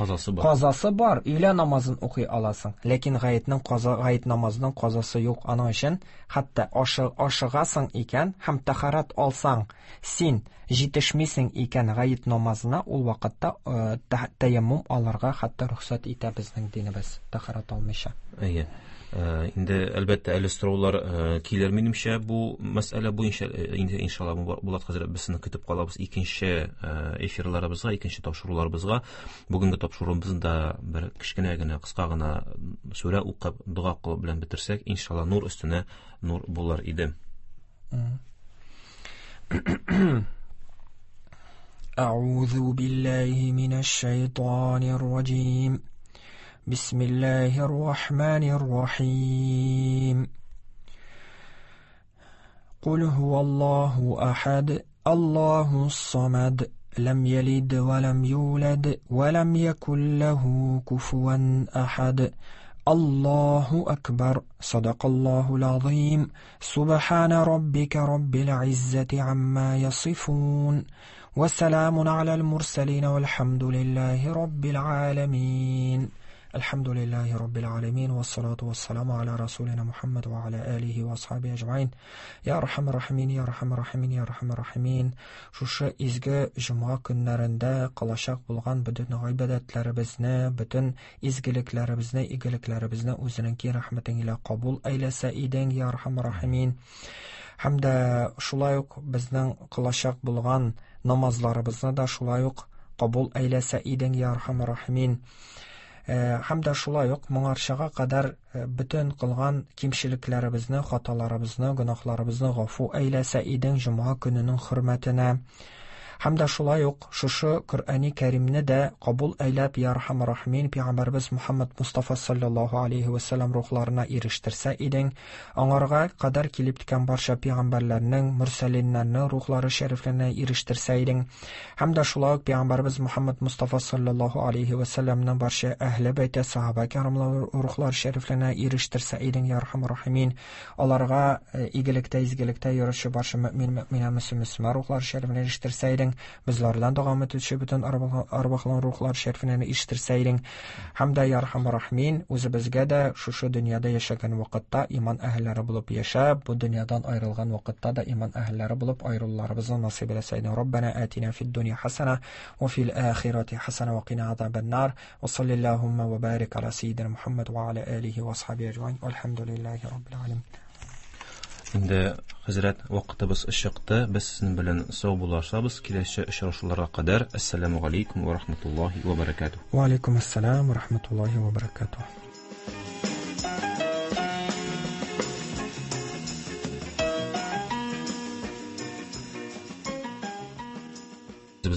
S4: Казасы бар.
S5: Казасы бар, өйлә намазын укый аласың. Ләкин гаетнең каза, гает намазының казасы юк. Аның өчен хәтта ашы, ашыгасың икән һәм тәһарәт алсаң, син җитешмисең икән гает намазына, ул вакытта э, тәяммум алырга хәтта рөхсәт итә безнең динебез, тәһарәт алмыйча.
S4: Әйе. Инде әлбәттә әле сораулар килер минемчә бу мәсьәлә буенча. Инде иншалла Булат хәзрәт без сезне көтеп калабыз икенче эфирларыбызга, икенче тапшыруларыбызга. Бүгенге тапшыруыбызда бер кечкенә генә, кыска гына сүрә укып, дога кылып белән бетерсәк, иншалла нур өстенә нур булыр иде.
S5: أعوذ بالله من الشيطان الرجيم. بسم الله الرحمن الرحيم. قل هو الله أحد، الله الصمد، لم يلد ولم يولد ولم يكن له كفوا أحد. الله أكبر. صدق الله العظيم. سبحان ربك رب العزة عما يصفون، وسلام على المرسلين، والحمد لله رب العالمين. الحمد لله رب العالمين، والصلاة والسلام على رسولنا محمد وعلى آله وأصحابه أجمعين. يا أرحم الراحمين، يا أرحم الراحمين، يا أرحم الراحمين. Шушы изге җомга көннәрендә кылачак булган бөтен гыйбадәтләребезне, бөтен изгелекләребезне, игелекләребезне үзенең киң рәхмәтең илә кабул әйләсә идең, я архам рахимин. Һәм дә шулай ук безнең кылачак булган намазларыбызны да шулай ук кабул әйләсә идең, я архам рахимин. Һәм дә шулай ук моңарчага кадәр бөтен кылган кимчелекләребезне, хаталарыбызны, гөнаһларыбызны гафу әйләсә идең җомга көненең хөрмәтенә. Һәм дә шулай ук шушы Коръәни Кәримне дә кабул әйләп, я архам рахимин, пәйгамбәребез Мухаммад Мустафа саллаллаһу алейхи ва саллям рухларына ирештерсә идең. Аңарга кадәр килеп ткән барча пәйгамбәрләрнең, мөрсәлиннәрнең рухлары шәрифләренә ирештерсә идең. Һәм дә шулай ук пәйгамбәребез Мухаммад Мустафа саллаллаһу алейхи ва саллямның барча әһле бәйте, сахаба кирамлар рухлары шәрифләренә ирештерсә идең, я архам рахимин. Аларга игелектә, изгелектә йөрүче барча мөмин, мөминә, мөселман рухлары шәрифләренә ирештерсә идең. Bizlardan davam etuvchi butun arvohlar ruhlar sharifini eshittirsa eding. Hamda ya arhamar rahimin, o'zimizga da shu shu dunyoda yashagan vaqtda iymon ahllari bo'lib yashab, bu dunyodan ayrilgan vaqtda da iymon ahllari bo'lib ayrillarimizni nasib etsa eding. Robbana atina fid dunya hasana va fil oxirati hasana va qina azaban nar. Va sallallohu va barik ala sayyidina Muhammad va ala alihi va ashabihi ajmain. Walhamdulillahi robbil alamin.
S4: Инде хәзрәт, вакытыбыз чыкты. Без сезнең белән сау булашабыз. Киләсе очрашуларга кадәр. Ассаламу алейкум ва рахматуллаһи ва баракатуһ.
S5: Ва алейкум ассалам ва рахматуллаһи ва баракатуһ.